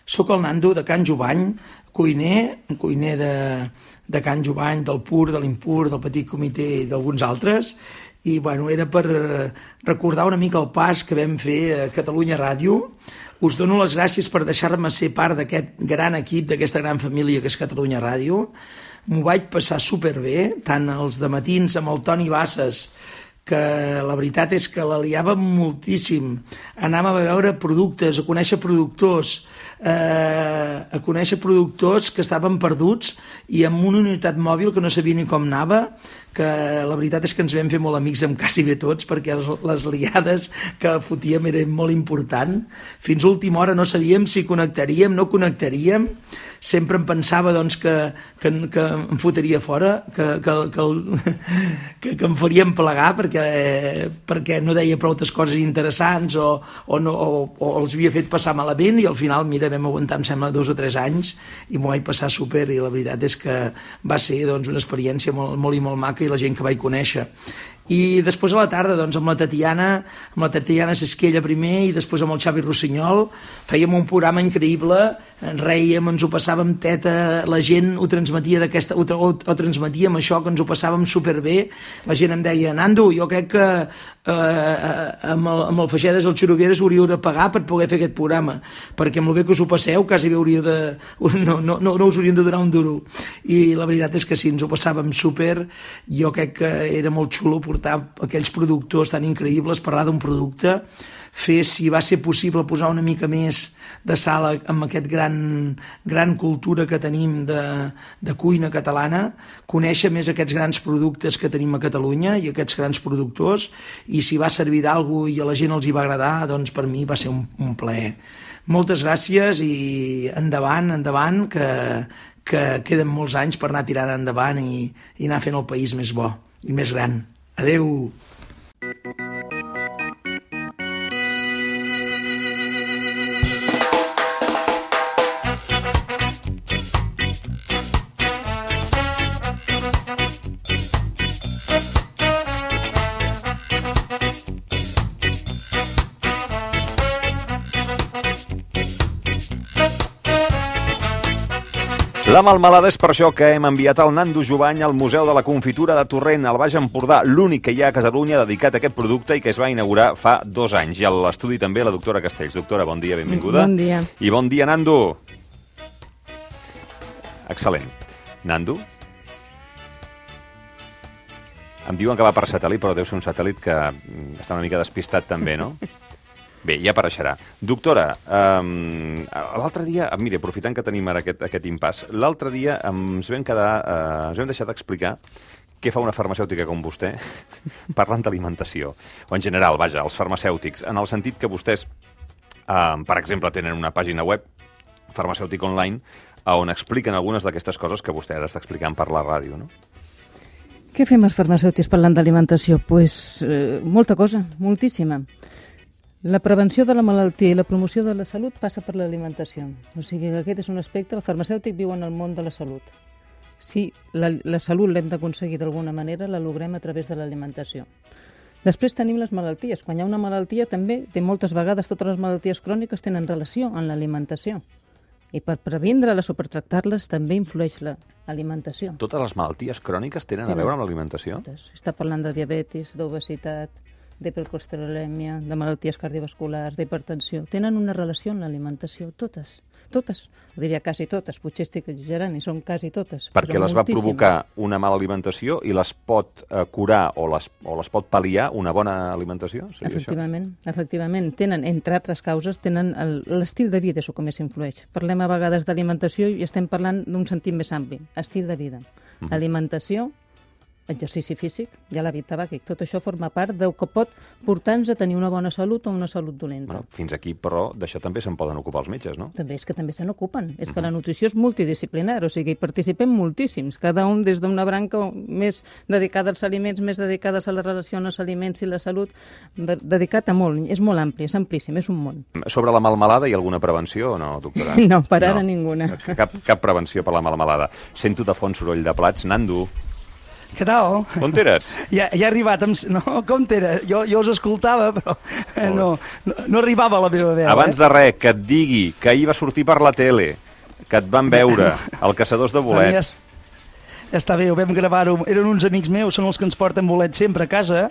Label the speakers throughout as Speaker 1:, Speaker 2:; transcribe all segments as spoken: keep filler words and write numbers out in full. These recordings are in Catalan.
Speaker 1: Soc el Nando de Can Jovany, cuiner, un cuiner de, de Can Jovany, del Pur, de l'Impur, del Petit Comitè i d'alguns altres, i bueno, era per recordar una mica el pas que vam fer a Catalunya Ràdio. Us dono les gràcies per deixar-me ser part d'aquest gran equip, d'aquesta gran família que és Catalunya Ràdio. M'ho vaig passar superbé, tant els dematins amb el Toni Bassas, que la veritat és que la liàvem moltíssim. Anàvem a veure productes, a conèixer productors, eh, a conèixer productors que estaven perduts i amb una unitat mòbil que no sabia ni com anava, que la veritat és que ens vam fer molt amics amb quasi bé tots, perquè les, les liades que fotíem eren molt important. Fins a última hora no sabíem si connectaríem, no connectaríem. Sempre em pensava doncs, que, que, que em fotria fora, que, que, que, que, que em farien plegar perquè, perquè no deia prou coses interessants o, o, no, o, o els havia fet passar malament, i al final, mira, vam aguantar, em sembla, dos o tres anys i m'ho vaig passar super, i la veritat és que va ser doncs, una experiència molt, molt i molt maca, i la gent que vaig conèixer. I després a la tarda, doncs, amb la Tatiana, amb la Tatiana Sesquella primer i després amb el Xavi Rossinyol, fèiem un programa increïble, en rèiem, ens ho passàvem teta, la gent ho transmetia d'aquesta, o, o, o transmetíem això, que ens ho passàvem superbé. La gent em deia, Nando, jo crec que eh, amb, el, amb el Feixedes i el Xurugueres hauríeu de pagar per poder fer aquest programa, perquè amb el bé que us ho passeu quasi bé hauríeu de... No, no, no, no us haurien de donar un duro. I la veritat és que sí, ens ho passàvem super. Jo crec que era molt xulo portar aquells productors tan increïbles, parlar d'un producte, fer, si va ser possible, posar una mica més de sal amb aquest gran, gran cultura que tenim de, de cuina catalana, conèixer més aquests grans productes que tenim a Catalunya i aquests grans productors, i si va servir d'algú i a la gent els hi va agradar, doncs per mi va ser un, un plaer. Moltes gràcies i endavant, endavant, que, que queden molts anys per anar tirant endavant i, i anar fent el país més bo i més gran. Adeu!
Speaker 2: La melmelada és per això que hem enviat el Nando Jovany al Museu de la Confitura de Torrent, al Baix Empordà, l'únic que hi ha a Catalunya dedicat a aquest producte i que es va inaugurar fa dos anys. I a l'estudi també la doctora Castells. Doctora, bon dia, benvinguda.
Speaker 3: Bon dia.
Speaker 2: I bon dia, Nando. Excel·lent. Nando? Em diuen que va per satèl·lit, però deu ser un satèl·lit que està una mica despistat també, no? Bé, ja apareixerà. Doctora, um, l'altre dia, mira, aprofitant que tenim ara aquest, aquest impàs, l'altre dia ens vam quedar, uh, ens vam deixar d'explicar què fa una farmacèutica com vostè parlant d'alimentació, o en general, vaja, els farmacèutics, en el sentit que vostès, uh, per exemple, tenen una pàgina web, farmacèutic online, on expliquen algunes d'aquestes coses que vostè ara està explicant per la ràdio, no?
Speaker 3: Què fem els farmacèutics parlant d'alimentació? Doncs pues, eh, molta cosa, moltíssima. La prevenció de la malaltia i la promoció de la salut passa per l'alimentació. O sigui que aquest és un aspecte, el farmacèutic viu en el món de la salut. Si la, la salut l'hem d'aconseguir d'alguna manera, la logrem a través de l'alimentació. Després tenim les malalties. Quan hi ha una malaltia també, de moltes vegades totes les malalties cròniques tenen relació amb l'alimentació. I per previndre-les o per tractar-les també influeix l'alimentació.
Speaker 2: Totes les malalties cròniques tenen, tenen a veure amb l'alimentació?
Speaker 3: Totes. Està parlant de diabetis, d'obesitat, d'hipercolesterolèmia, de malalties cardiovasculars, d'hipertensió. Tenen una relació amb l'alimentació, totes. Totes, ho diria quasi totes, potser estic exagerant, i són quasi totes.
Speaker 2: Perquè les va provocar una mala alimentació i les pot eh, curar o les, o les pot pal·liar una bona alimentació?
Speaker 3: Efectivament, això? efectivament. Tenen, entre altres causes, tenen l'estil de vida, és el que més influeix. Parlem a vegades d'alimentació i estem parlant d'un sentit més ampli, estil de vida. Uh-huh. Alimentació, exercici físic, ja l'hàbit tabàquic, tot això forma part del que pot portar-nos a tenir una bona salut o una salut dolenta.
Speaker 2: Bueno, fins aquí, però, d'això també se'n poden ocupar els metges, no?
Speaker 3: També és que també se n'ocupen. És uh-huh. que la nutrició és multidisciplinar, o sigui, hi participem moltíssims, cada un des d'una branca més dedicada als aliments, més dedicades a la relació amb els aliments i la salut, de dedicat a molt, és molt ampli, és amplíssim, és un món.
Speaker 2: Sobre la melmelada hi ha alguna prevenció o no, doctora?
Speaker 3: No, per ara no. ninguna.
Speaker 2: Cap, cap prevenció per la melmelada. Sento de fons soroll de plats. Nando.
Speaker 1: Què tal?
Speaker 2: On eres?
Speaker 1: Ja, ja he arribat. Amb... No, com era? Jo, jo us escoltava, però no, no, no arribava a la meva veu.
Speaker 2: Abans
Speaker 1: eh?
Speaker 2: de res, que et digui que ahir va sortir per la tele, que et van veure, el Caçadors de Bolets.
Speaker 1: Ja està bé, ho vam gravar-ho. Eren uns amics meus, són els que ens porten bolets sempre a casa,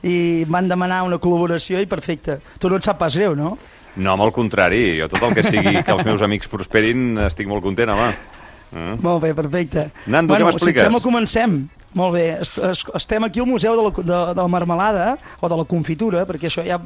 Speaker 1: i van demanar una col·laboració i perfecte. Tu no et sap pas greu, no?
Speaker 2: No, amb el contrari. Jo tot el que sigui que els meus amics prosperin estic molt content, home. Mm.
Speaker 1: Molt bé, perfecte.
Speaker 2: Nando,
Speaker 1: bueno,
Speaker 2: què m'expliques?
Speaker 1: Si et sembla, comencem. Molt bé, estem aquí al Museu de la, de, de la Marmelada, o de la Confitura, perquè això ja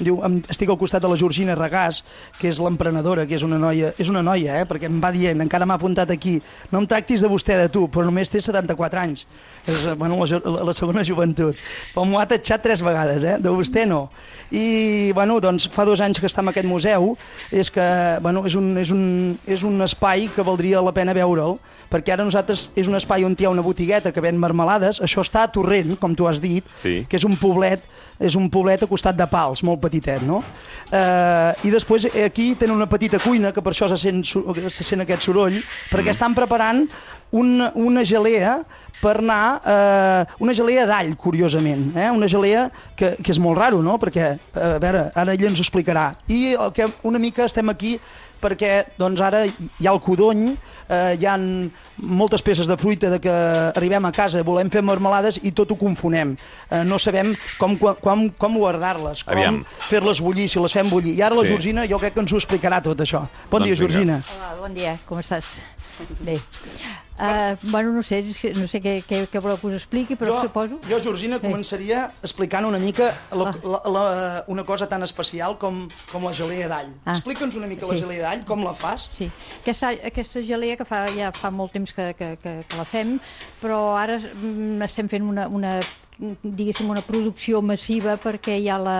Speaker 1: diu, estic al costat de la Georgina Regàs, que és l'emprenedora, que és una noia, és una noia, eh, perquè em va dient, encara m'ha apuntat aquí, no em tractis de vostè, de tu, però només té setanta-quatre anys. És, bueno, la, la, la segona joventut. Però m'ho ha tatxat tres vegades, eh, de vostè no. I, bueno, doncs, fa dos anys que està en aquest museu, és que, bueno, és un, és un, és un espai que valdria la pena veure'l, perquè ara nosaltres és un espai on hi ha una botigueta que ven marmelades, això està a Torrent, com tu has dit, sí. Que és un poblet, és un poblet a costat de Pals, molt petitet, no? Eh, I després aquí tenen una petita cuina, que per això se sent, se sent aquest soroll, perquè estan preparant una, una gelea per anar, eh, una gelea d'all, curiosament, eh? Una gelea que, que és molt raro, no? Perquè, a veure, ara ell ens ho explicarà. I el que una mica estem aquí perquè doncs ara hi ha el codony, eh, hi ha moltes peces de fruita de que arribem a casa, volem fer marmelades i tot ho confonem. Eh, no sabem com, com, com guardar-les, com fer-les bullir, si les fem bullir. I ara la sí. Georgina jo crec que ens ho explicarà tot això. Bon doncs dia, Georgina.
Speaker 4: Hola, bon dia, com estàs? Bé. Uh, bueno, no sé, no sé què, què, què voleu que us expliqui, però
Speaker 1: jo,
Speaker 4: suposo...
Speaker 1: Jo, Georgina, eh. començaria explicant una mica la, la, la, una cosa tan especial com, com la gelea d'all. Ah. Explica'ns una mica sí. la gelea d'all, com la fas?
Speaker 4: Sí, aquesta, aquesta gelea que fa, ja fa molt temps que, que, que, que la fem, però ara mm, estem fent una... una diguéssim, una producció massiva perquè hi ha la,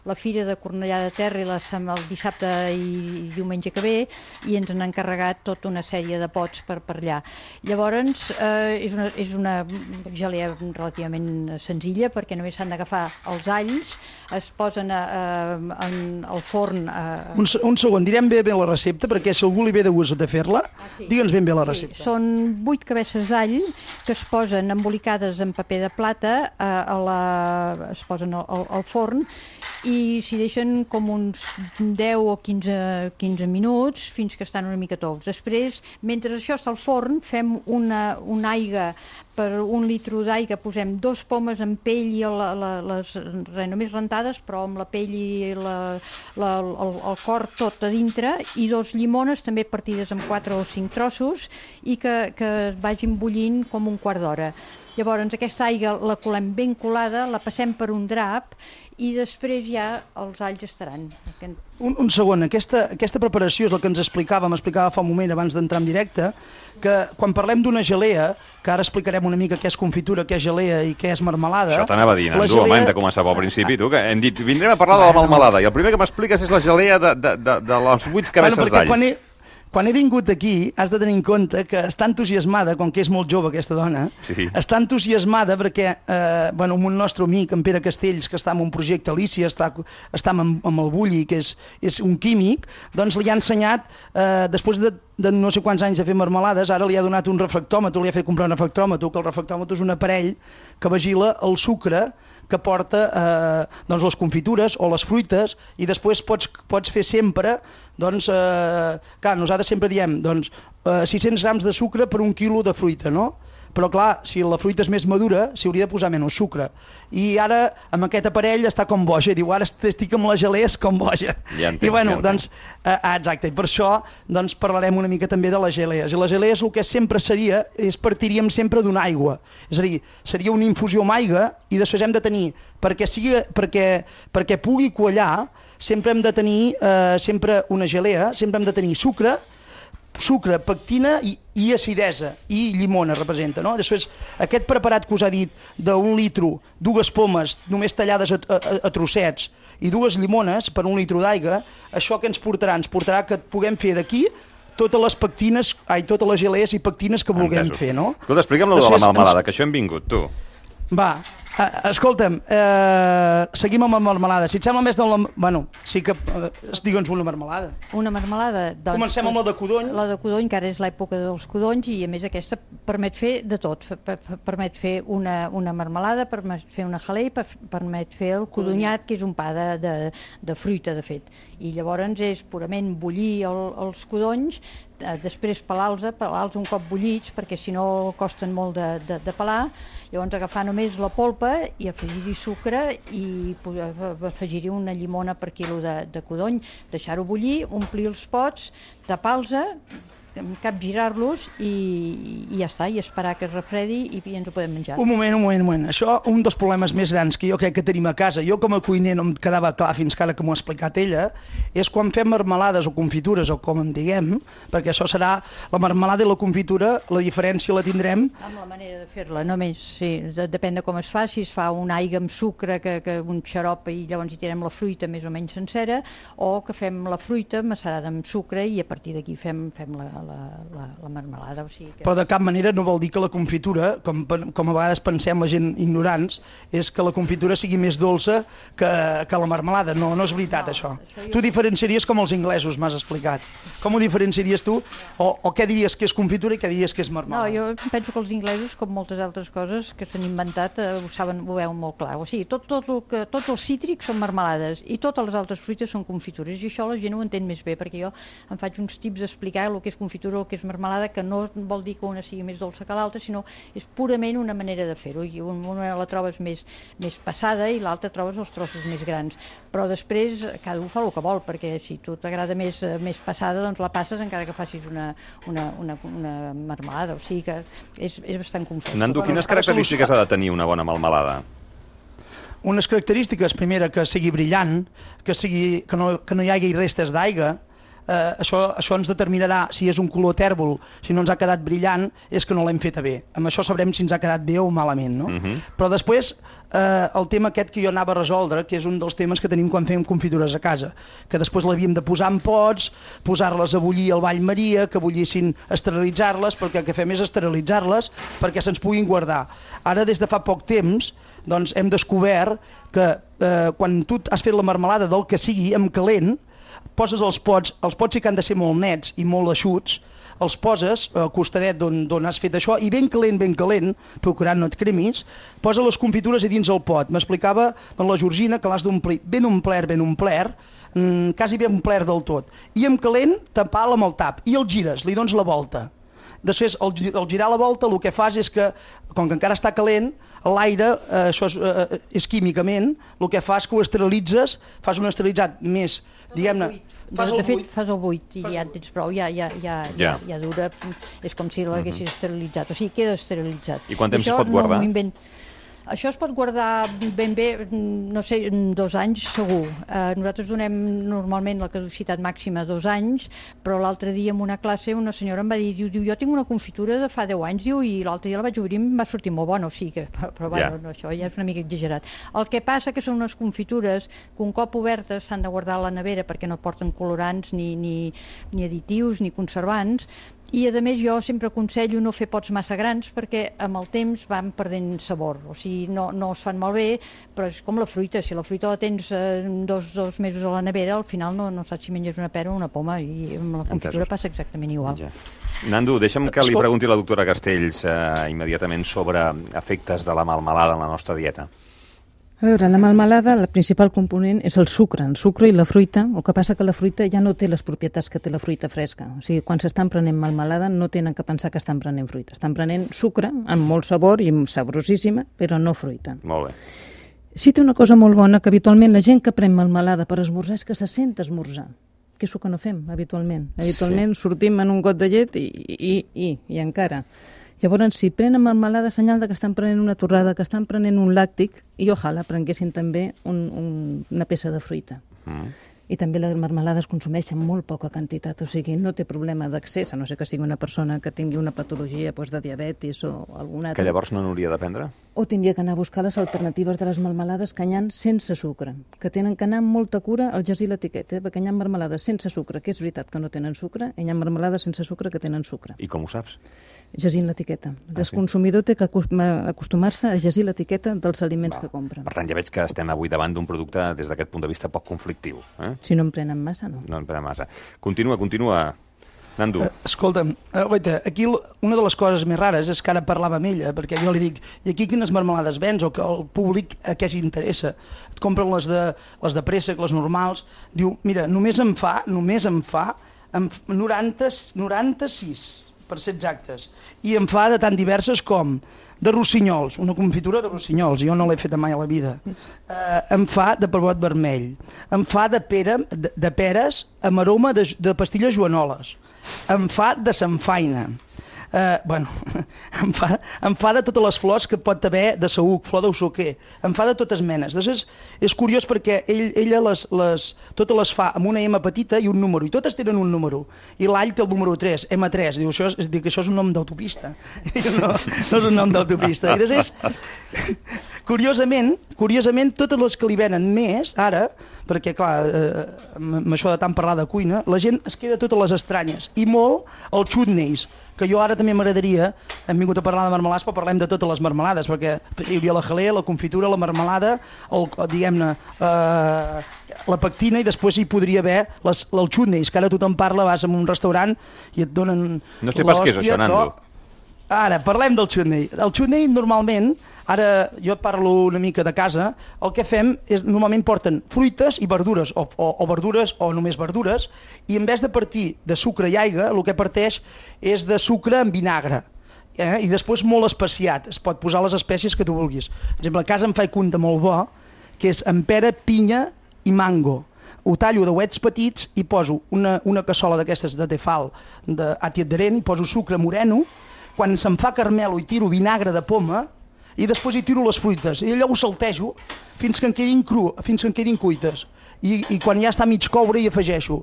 Speaker 4: la Fira de Cornellà de Terri la, el dissabte i diumenge que ve i ens han encarregat tota una sèrie de pots per, per allà. Llavors, eh, és, una, és una gelea relativament senzilla perquè només s'han d'agafar els alls, es posen a, a, en, al forn... A...
Speaker 1: Un, un segon, direm bé bé la recepta perquè si algú li ve de gust de fer-la, ah, sí. digue'ns ben bé la recepta.
Speaker 4: Sí, són vuit cabeces d'all que es posen embolicades en paper de plata, a la, es posen al, al forn i s'hi deixen com uns deu o quinze, quinze minuts fins que estan una mica tous. Després, mentre això està al forn, fem una, una aigua, per un litre d'aigua posem dos pomes amb pell i la, la, les, re, només rentades, però amb la pell i la, la, el, el cor tot a dintre, i dos llimones també partides en quatre o cinc trossos i que, que vagin bullint com un quart d'hora. Llavors aquesta aigua la colem ben colada, la passem per un drap i després ja els alls estaran.
Speaker 1: Un, un segon, aquesta, aquesta preparació és el que ens explicava, m'explicava fa un moment abans d'entrar en directe, que quan parlem d'una gelea, que ara explicarem una mica què és confitura, què és gelea i què és marmelada...
Speaker 2: Això t'anava dient, Nando, gelea... home, hem de començar pel principi, tu, que hem dit, vindrem a parlar de la marmelada, i el primer que m'expliques és la gelea de, de, de, de les vuit cabeces bueno, d'all.
Speaker 1: Quan he... Quan he vingut aquí, has de tenir en compte que està entusiasmada, com que és molt jove aquesta dona, sí. està entusiasmada perquè eh, bueno, un nostre amic, en Pere Castells, que està en un projecte Alicia, està, està amb, amb el Bulli, que és, és un químic, doncs li ha ensenyat, eh, després de, de no sé quants anys de fer marmelades, ara li ha donat un refractòmetre, li ha fet comprar un refractòmetre, que el refractòmetre és un aparell que vigila el sucre que porta eh, doncs les confitures o les fruites, i després pots, pots fer sempre, doncs, eh, clar, nosaltres sempre diem, doncs, eh, sis-cents grams de sucre per un quilo de fruita, no? Però clar, si la fruita és més madura, s'hi hauria de posar menys sucre. I ara, amb aquest aparell, està com boja. Diu, ara estic amb la gelea, és com boja.
Speaker 2: Ja entenc,
Speaker 1: I bueno,
Speaker 2: ja
Speaker 1: doncs, eh, exacte, i per això doncs, parlarem una mica també de les gelees. I les gelees el que sempre seria, és partiríem sempre d'una aigua. És a dir, seria una infusió amb aigua i després hem de tenir, perquè, sigui, perquè, perquè pugui quallar, sempre hem de tenir eh, sempre una gelea, sempre hem de tenir sucre, sucre, pectina i, i acidesa, i llimona representa, no? Després, aquest preparat que us ha dit d'un litro, dues pomes només tallades a, a, a trossets i dues llimones per un litro d'aigua, això que ens portarà? Ens portarà que puguem fer d'aquí totes les pectines, ai, totes les gelees i pectines que vulguem Entesos. fer, no?
Speaker 2: Escolta, explica'm lo de la marmelada, que això hem vingut, tu.
Speaker 1: Va, Uh, escolta'm, uh, seguim amb la marmelada. Si et sembla més de la... Bueno, sí que... Uh, digue'ns una marmelada.
Speaker 4: Una marmelada? Doncs,
Speaker 1: Comencem amb la de codony.
Speaker 4: La de codony, que ara és l'època dels codonys, i a més aquesta permet fer de tot. Permet fer una, una marmelada, permet fer una jalea, per, permet fer el codonyat, que és un pa de, de, de fruita, de fet. I llavors és purament bullir el, els codonys, després pelar-los, pelar-los un cop bullits, perquè si no costen molt de, de, de pelar. Llavors agafar només la polpa i afegir-hi sucre i afegir-hi una llimona per quilo de, de codony, deixar-ho bullir, omplir els pots, tapar-los, capgirar-los i, i ja està, i esperar que es refredi i ens ho podem menjar.
Speaker 1: Un moment, un moment, un moment. Això, un dels problemes més grans que jo crec que tenim a casa, jo com a cuiner no em quedava clar fins que ara que m'ho ha explicat ella, és quan fem marmelades o confitures o com en diguem, perquè això serà la marmelada i la confitura, la diferència la tindrem...
Speaker 4: Amb la manera de fer-la, només, sí, depèn de com es fa, si es fa una aigua amb sucre, que, que un xarop i llavors hi tirem la fruita més o menys sencera, o que fem la fruita macerada amb sucre i a partir d'aquí fem, fem la, la, la, la marmelada. O sigui que...
Speaker 1: Però de cap manera no vol dir que la confitura, com, com a vegades pensem la gent ignorants, és que la confitura sigui més dolça que, que la marmelada. No, no és veritat, no, això. això jo... Tu diferenciaries com els inglesos, m'has explicat. Com ho diferenciaries tu? O, o què diries que és confitura i què diries que és marmelada?
Speaker 4: No, jo penso que els inglesos, com moltes altres coses que s'han inventat, eh, ho saben, ho veuen molt clar. O sigui, tot, tot el que, tots els cítrics són marmelades i totes les altres fruites són confitures, i això la gent ho entén més bé, perquè jo em faig uns tips d'explicar el que és confitura o el que és marmelada, que no vol dir que una sigui més dolça que l'altra, sinó és purament una manera de fer-ho, i una la trobes més, més passada i l'altra trobes els trossos més grans, però després cada un fa el que vol, perquè si tu t'agrada més, més passada, doncs la passes encara que facis una, una, una, una marmelada, o sigui que és, és bastant confós.
Speaker 2: Nando, quines característiques ha de tenir una bona marmelada?
Speaker 1: Unes característiques, primera, que sigui brillant, que, sigui, que, no, que no hi hagi restes d'aigua. Eh, això, això ens determinarà si és un color tèrbol, si no ens ha quedat brillant, és que no l'hem feta bé. Amb això sabrem si ens ha quedat bé o malament, no? Uh-huh. Però després, eh, el tema aquest que jo anava a resoldre, que és un dels temes que tenim quan fem confitures a casa, que després l'havíem de posar en pots, posar-les a bullir al ball Maria, que bullissin, esterilitzar-les, perquè el que fem és esterilitzar-les perquè se'ns puguin guardar. Ara, des de fa poc temps, doncs hem descobert que eh, quan tu has fet la marmelada del que sigui, amb calent, poses els pots, els pots sí que han de ser molt nets i molt eixuts, els poses al costadet d'on has fet això i ben calent, ben calent, procurant no et cremis, posa les confitures a dins el pot. M'explicava doncs, la Georgina que l'has d'omplir ben omplert, ben omplert, mmm, quasi ben omplert del tot. I amb calent tapar-la amb el tap i el gires, li dones la volta. Després, al, al girar la volta, el que fas és que, com que encara està calent, l'aire, eh, això és, eh, és químicament, el que fas que ho esterilitzes, fas un esterilitzat més, diguem-ne...
Speaker 4: De fet, fas el buit i ja en tens prou, ja, ja, ja, ja, ja dura, és com si l'haguessis esterilitzat, o sigui, queda esterilitzat.
Speaker 2: I quant temps es pot guardar?
Speaker 4: Això es pot guardar ben bé, no sé, dos anys segur. Eh, nosaltres donem normalment la caducitat màxima dos anys, però l'altre dia en una classe una senyora em va dir, diu, diu jo tinc una confitura de fa deu anys, diu, i l'altre dia la vaig obrir i em va sortir molt bona, o sigui que, però, però yeah. bueno, no, això ja és una mica exagerat. El que passa que són unes confitures que un cop obertes s'han de guardar a la nevera perquè no porten colorants ni, ni, ni additius ni conservants. I, a més, jo sempre aconsello no fer pots massa grans perquè amb el temps van perdent sabor. O sigui, no, no es fan malbé, però és com la fruita. Si la fruita la tens eh, dos, dos mesos a la nevera, al final no, no saps si menges una pera o una poma. I amb la confitura passa exactament igual. Ja.
Speaker 2: Nando, deixa'm que li pregunti a la doctora Castells eh, immediatament sobre efectes de la melmelada en la nostra dieta.
Speaker 3: A veure, la melmelada, el principal component és el sucre, el sucre i la fruita, el que passa que la fruita ja no té les propietats que té la fruita fresca. O sigui, quan s'estan prenent melmelada no tenen que pensar que estan prenent fruita. Estan prenent sucre amb molt sabor i saborosíssima, però no fruita.
Speaker 2: Molt bé.
Speaker 3: Sí té una cosa molt bona, que habitualment la gent que pren melmelada per esmorzar és que se sent esmorzar, que és el que no fem habitualment. Habitualment sí. Sortim en un got de llet i, i, i, i encara... Llavors, si prenen melmelada, senyal de que estan prenent una torrada, que estan prenent un làctic, i ojalà prenguessin també un, un, una peça de fruita. Mm. I també la melmelada es consumeix en molt poca quantitat, o sigui, no té problema d'accés, a no ser que sigui una persona que tingui una patologia doncs, de diabetis o alguna altra.
Speaker 2: Que llavors no n'hauria de prendre?
Speaker 3: o tindria que anar a buscar les alternatives de les melmelades que n'hi ha sense sucre, que tenen que anar amb molta cura al llegir l'etiqueta, eh? Perquè n'hi ha melmelades sense sucre, que és veritat que no tenen sucre, i n'hi ha melmelades sense sucre que tenen sucre.
Speaker 2: I com ho saps?
Speaker 3: Llegint l'etiqueta. El
Speaker 2: Ah, sí?
Speaker 3: consumidor té que acostumar-se a llegir l'etiqueta dels aliments
Speaker 2: Va.
Speaker 3: que compren.
Speaker 2: Per tant, ja veig que estem avui davant d'un producte des d'aquest punt de vista poc conflictiu. Eh?
Speaker 3: Si no en prenen massa, no.
Speaker 2: No en prenen massa. Continua, continua, Nando.
Speaker 1: Uh, escolta'm, uh, oita, aquí l- una de les coses més rares és que ara parlava amb ella, perquè jo li dic, i aquí quines marmelades vens, o que el públic a què s'interessa? Et compren les de, les de préssec, les normals, diu, mira, només em fa, només em fa, em f- noranta, noranta-sis, per ser exactes, i em fa de tan diverses com de rossinyols, una confitura de rossinyols, jo no l'he feta mai a la vida, uh, em fa de pebrot vermell, em fa de, pera, de, de peres amb aroma de, de pastilles joanoles, em fa de samfaina, uh, bueno, em fa, em fa de totes les flors que pot haver de saüc, flor d'usoquer, em fa de totes menes. Després és curiós perquè ell, ella les, les, totes les fa amb una M petita i un número, i totes tenen un número, i l'all té el número tres, M tres, diu, això és, dic, això és un nom d'autopista, no, no és un nom d'autopista. I després, curiosament, curiosament, totes les que li venen més, ara, perquè clar, eh, amb això de tant parlar de cuina, la gent es queda totes les estranyes, i molt els chutneys, que jo ara també m'agradaria, hem vingut a parlar de marmelades, però parlem de totes les marmelades, perquè hi hauria la jalea, la confitura, la marmelada, el, diguem-ne, eh, la pectina, i després hi podria haver les, els chutneys, que ara tothom parla, vas a un restaurant i et donen...
Speaker 2: No sé pas què és
Speaker 1: l'hòstia,
Speaker 2: això, Nando.
Speaker 1: però- Ara, parlem del chutney. El chutney, normalment, ara jo et parlo una mica de casa, el que fem és, normalment porten fruites i verdures, o, o, o verdures o només verdures, i en vez de partir de sucre i aigua, el que parteix és de sucre amb vinagre. Eh? I després molt especiat, es pot posar les espècies que tu vulguis. Per exemple, a casa em faig un de molt bo, que és amb pera, pinya i mango. Ho tallo de uets petits i poso una, una cassola d'aquestes de tefal, d'àtiet d'arent, i poso sucre moreno. Quan se'm fa carmelo i tiro vinagre de poma, i després hi tiro les fruites, i allò ho saltejo fins que en quedin cru, fins que en quedin cuites. I, i quan ja està mig coure hi afegeixo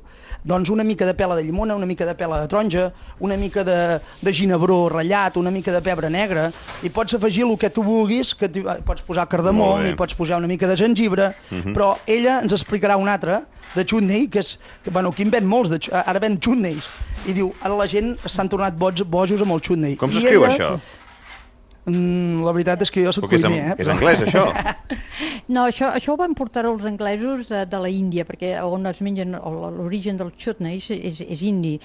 Speaker 1: doncs una mica de pela de llimona, una mica de pela de taronja, una mica de, de ginebró ratllat, una mica de pebre negre, i pots afegir el que tu vulguis, que tu, pots posar cardamom, i pots posar una mica de gengibre, uh-huh. Però ella ens explicarà un altre de chutney, que és, que, bueno, aquí en ven molts, de, ara ven chutneys, i diu, ara la gent s'han tornat boig, bojos amb el chutney.
Speaker 2: Com s'escriu
Speaker 1: ella,
Speaker 2: això?
Speaker 1: Mm, la veritat és que jo soc
Speaker 2: Que és,
Speaker 1: cuiner, eh?
Speaker 2: és anglès, això?
Speaker 4: No, això, això ho van portar els anglesos de, de la Índia, perquè on es mengen, l'origen del chutney és, és, és indi,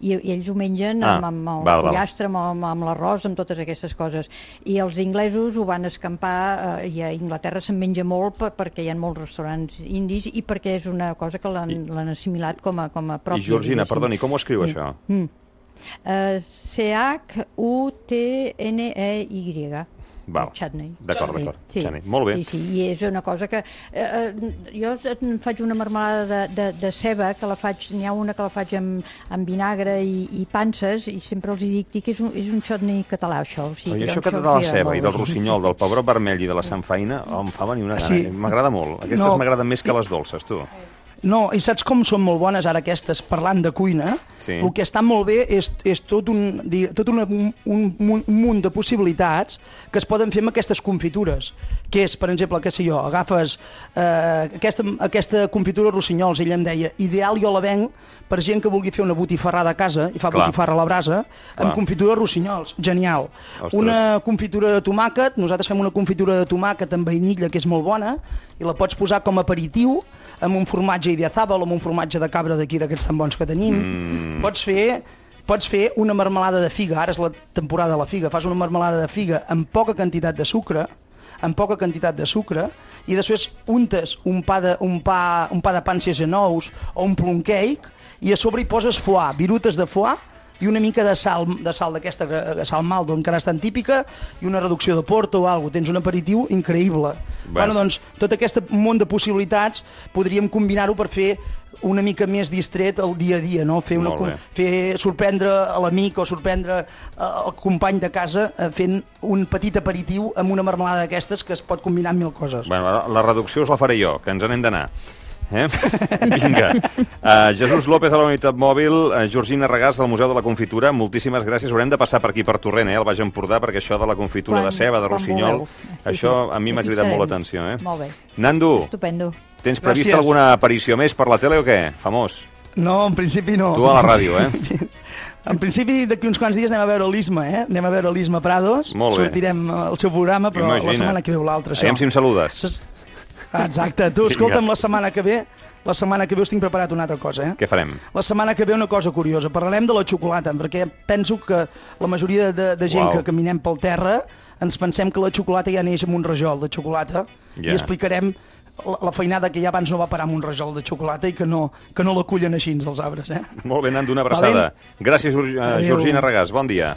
Speaker 4: i, i ells ho mengen
Speaker 2: Ah,
Speaker 4: amb, amb el
Speaker 2: val, val.
Speaker 4: pollastre, amb, amb, amb l'arròs, amb totes aquestes coses. I els inglesos ho van escampar, eh, i a Inglaterra se'n menja molt per, perquè hi ha molts restaurants indis i perquè és una cosa que l'han l'han assimilat com a, com a pròpia.
Speaker 2: I Georgina,
Speaker 4: diguéssim.
Speaker 2: perdoni, com ho escriu,
Speaker 4: Sí.
Speaker 2: això?
Speaker 4: Mm. Uh, C H U T N E Y.
Speaker 2: Val.
Speaker 4: Chutney.
Speaker 2: D'acord, d'acord.
Speaker 4: Sí.
Speaker 2: Chutney. Molt bé.
Speaker 4: Sí, sí, i és una cosa que... Eh, eh, jo en faig una marmelada de, de, de ceba, que la faig, n'hi ha una que la faig amb, amb vinagre i, i panses, i sempre els hi dic, dic que és un, és un chutney català, això. O sigui,
Speaker 2: I
Speaker 4: que
Speaker 2: això
Speaker 4: doncs
Speaker 2: que de
Speaker 4: els
Speaker 2: la
Speaker 4: agrada
Speaker 2: ceba i
Speaker 4: molt.
Speaker 2: del rossinyol, del pebrot vermell i de la samfaina, oh, em fa venir una gana.
Speaker 1: Sí.
Speaker 2: M'agrada molt. Aquestes
Speaker 1: No.
Speaker 2: m'agraden més que les dolces, tu.
Speaker 1: No, i saps com són molt bones ara aquestes, parlant de cuina?
Speaker 2: Sí.
Speaker 1: El que està molt bé és, és tot, un, di- tot una, un, un, un munt de possibilitats que es poden fer amb aquestes confitures, que és, per exemple, què sé jo, agafes eh, aquesta, aquesta confitura de rossinyols, ella em deia, ideal jo la venc per gent que vulgui fer una botifarrada a casa, i fa
Speaker 2: Clar.
Speaker 1: botifarra a la brasa,
Speaker 2: Clar.
Speaker 1: amb confitura de rossinyols, genial.
Speaker 2: Ostres.
Speaker 1: Una confitura de tomàquet, nosaltres fem una confitura de tomàquet amb vainilla que és molt bona, i la pots posar com a aperitiu, amb un formatge idiazabal o amb un formatge de cabra d'aquí, d'aquests tan bons que tenim.
Speaker 2: Mm.
Speaker 1: Pots fer pots fer una marmelada de figa, ara és la temporada de la figa, fas una marmelada de figa amb poca quantitat de sucre, amb poca quantitat de sucre, i després untes un pa de, un pa, un pa de panses en ous o un plum cake, i a sobre hi poses foie, virutes de foie, i una mica de sal, de sal d'aquesta, de sal maldo, encara és tan típica, i una reducció de porto o alguna cosa. Tens un aperitiu increïble.
Speaker 2: Bueno.
Speaker 1: Bueno, doncs, tot aquest munt de possibilitats podríem combinar-ho per fer una mica més distret el dia a dia, no? Fer, una,
Speaker 2: Molt bé.
Speaker 1: fer sorprendre a l'amic o sorprendre el company de casa eh, fent un petit aperitiu amb una marmelada d'aquestes que es pot combinar amb mil coses.
Speaker 2: Bueno, la reducció us la faré jo, que ens n'hem d'anar. Eh? Vinga. Uh, Jesús López de la Unitat Mòbil, uh, Georgina Regàs del Museu de la Confitura, moltíssimes gràcies. Haurem de passar per aquí, per Torrent, eh, al Baix Empordà, perquè això de la confitura
Speaker 4: Quan-
Speaker 2: de ceba, de
Speaker 4: quan
Speaker 2: rossinyol,
Speaker 4: vulgueu. Sí,
Speaker 2: això
Speaker 4: sí.
Speaker 2: a mi m'ha
Speaker 4: Aquí
Speaker 2: cridat molt
Speaker 4: serem.
Speaker 2: l'atenció. Eh?
Speaker 4: Molt bé.
Speaker 2: Nando,
Speaker 4: Estupendo.
Speaker 2: tens prevista
Speaker 5: Gràcies.
Speaker 2: alguna aparició més per la tele o què? Famós.
Speaker 5: No, en principi no.
Speaker 2: Tu a la ràdio, eh?
Speaker 5: En principi, d'aquí uns quants dies anem a veure l'Isma, eh? Anem a veure l'Isma Prados.
Speaker 2: Molt bé.
Speaker 5: Sortirem al seu programa, però
Speaker 2: Imagina't.
Speaker 5: la setmana que ve o l'altra, això.
Speaker 2: Aviam si em saludes.
Speaker 5: Ses- Exacte. Tu,
Speaker 2: Vinga.
Speaker 5: escolta'm, la setmana que ve, la setmana que ve us tinc preparat una altra cosa, eh?
Speaker 2: Què farem?
Speaker 5: La setmana que ve una cosa curiosa. Parlarem de la xocolata, perquè penso que la majoria de, de gent
Speaker 2: Uau.
Speaker 5: que caminem pel terra ens pensem que la xocolata ja neix amb un rajol de xocolata
Speaker 2: Ja.
Speaker 5: i explicarem la, la feinada que ja abans no va parar amb un rajol de xocolata i que no, que no la cullen així els arbres, eh?
Speaker 2: Molt bé, Nando, una abraçada. Gràcies, Ur- uh,
Speaker 5: Adéu.
Speaker 2: Georgina Regàs. Bon dia.